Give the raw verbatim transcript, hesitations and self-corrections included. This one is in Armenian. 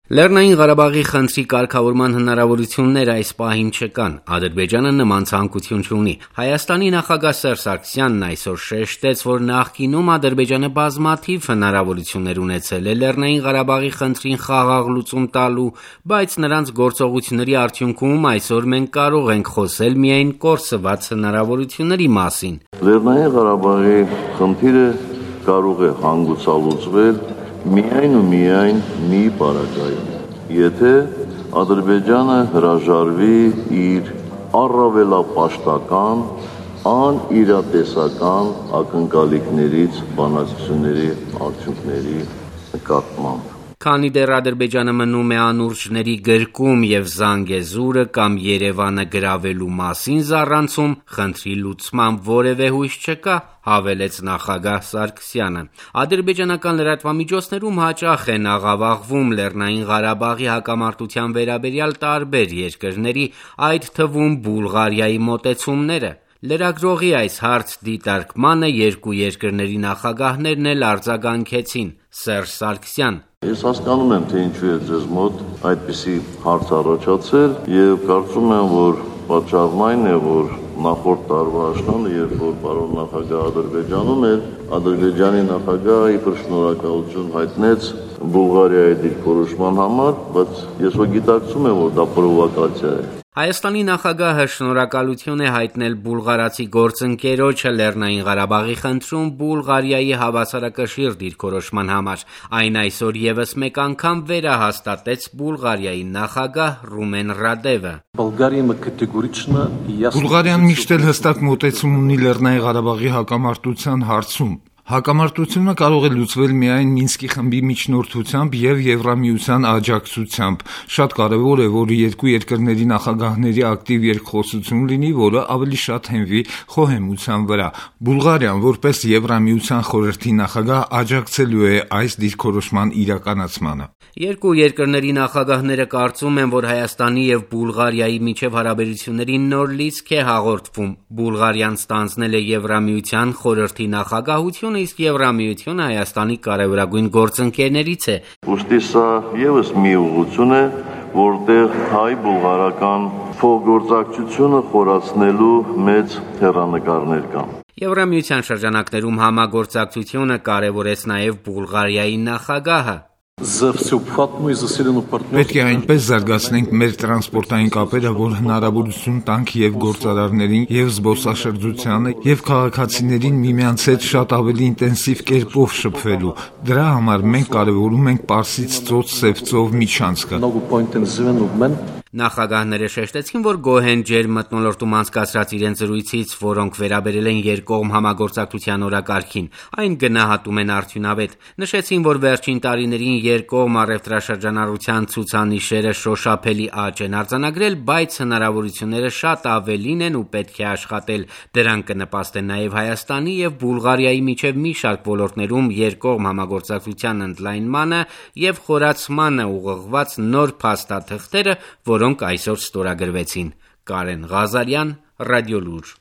Լեռնային Ղարաբաղի խնդրի կարգավորման հնարավորություններ այս պահին չկան, Ադրբեջանը նման ցանկություն չունի։ Հայաստանի նախագահ Սերժ Սարգսյանն այսօր շեշտեց, որ նախկինում Ադրբեջանը բազմաթիվ հնարավորություններ ունեցել է Լեռնային Ղարաբաղի խնդրին խաղաղ լուծում տալու, բայց նրանց գործողությունների արդյունքում այսօր մենք կարող ենք խոսել միայն կորսված հնարավորությունների մասին։ Լեռնային Ղարաբաղի խնդիրը կարող է հանգուցալուծվել միայն ու միայն մի պարագայում, եթե Ադրբեջանը հրաժարվի իր առավելապաշտական, անիրատեսական ակնկալիքներից բանակցությունների արդյունքների նկատմամբ։ Քանի դեռ Ադրբեջանը մնում է անուրջների գրկում և Զանգեզուրը կամ Երևանը գրավելու մասին զառանցում, խնդրի լուծման որևէ հույս չկա, հավելեց նախագահ Սարգսյանը։ Ադրբեջանական լրատվամիջոցներում հաճախ են աղավաղվում Լեռնային Ղարաբաղի հակամարտության վերաբերյալ տարբեր երկրների, այդ թվում Բուլղարիայի մոտեցումները։ Լրագրողի այս հարց դիտարկմանը երկու երկրների նախագահներն էլ արձագանքեցին։ Սերժ Սարգսյան. Ես հասկանում եմ, թե ինչու է ձեզ մոտ այդպիսի հարց առաջացել և կարծում եմ, որ պատճառն այն է, որ նախորդ տարվա աշնանը, երբ որ պարոն նախագահ Ադրբեջանում էր, Ադրբեջանի նախագահը իբր շնորհակալություն հայտնեց Բուլղարիայի դիրքորոշման համար, բայց ես որ գիտակցում եմ, որ դա պրովոկացիա է։ Հայաստանի նախագահը շնորհակալություն է հայտնել բուլղարացի գործընկերոջը Լեռնային Ղարաբաղի խնդրում Բուլղարիայի հավասարակշիռ դիրքորոշման համար։ Այն այսօր ևս մեկ անգամ վերահաստատեց Բուլղարիայի նախագահ Ռումեն Ռադևը։ Բուլղարիան միշտ էլ հստակ մոտեցում ունի Լեռնային Ղարաբաղի հակամարտության հարցում։ Հակամարտությունը կարող է լուծվել միայն Մինսկի խմբի միջնորդությամբ և Եվրամիության աջակցությամբ։ Շատ կարևոր է, որ երկու երկրների նախագահների ակտիվ երկխոսություն լինի, որը ավելի շատ հենվի խոհեմության վրա։ Բուլղարիան, որպես Եվրամիության խորհրդի նախագահ, աջակցելու է այս դիրքորոշման իրականացմանը։ Երկու երկրների նախագահները կարծում են, որ Հայաստանի և Բուլղարիայի միջև հարաբերությունների նոր լիցք է հաղորդվում։ Բուլղարիան ստանձնել է Եվրամիության խորհրդի նախագահությունը, իսկ Եվրամիությունը Հայաստանի կարևորագույն գործընկերներից է։ Ուստի սա ևս մի ուղղություն է, որտեղ հայ-բուլղարական փոխգործակցությունը խորացնելու մեծ հեռանկարներ կան։ Եվրամիության շրջանակներում համագործակցությունը կարևորեց նաև Բուլղարիայի նախագահը։ Պետք է այնպես զարգացնենք մեր տրանսպորտային կապերը, որ հնարավորություն տանք և գործարարներին, և զբոսաշրջությանը, և քաղաքացիներին միմյանց հետ շատ ավելի ինտենսիվ կերպով շփվելու։ Դրա համար մենք կարևորում ենք Պարսից ծոց-Սև ծով միջանցքը։ Նախագահները շեշտեցին, որ գոհ են ջերմմթնոլորտում անցկացրած իրենց զրույցից, որոնք վերաբերել են երկկողմ համագործակցության օրակարգին։ Այն գնահատում են արդյունավետ։ Նշեցին, որ վերջին տարիներին երկկողմ առևտրաշրջանառության ցուցանիշերը շոշափելի աճ են արձանագրել, բայց հնարավորությունները շատ ավելին են ու պետք է աշխատել։ Դրան կնպաստեն նաև Հայաստանի և Բուլղարիայի միջև մի շարք ոլորտներում երկկողմ համագործակցության ընդլայնմանը և խորացմանը ուղղված նոր փաստաթղթերը, որոնք այսօր ստորագրվեցին։ Կարեն Ղազարյան, Ռադիոլուր։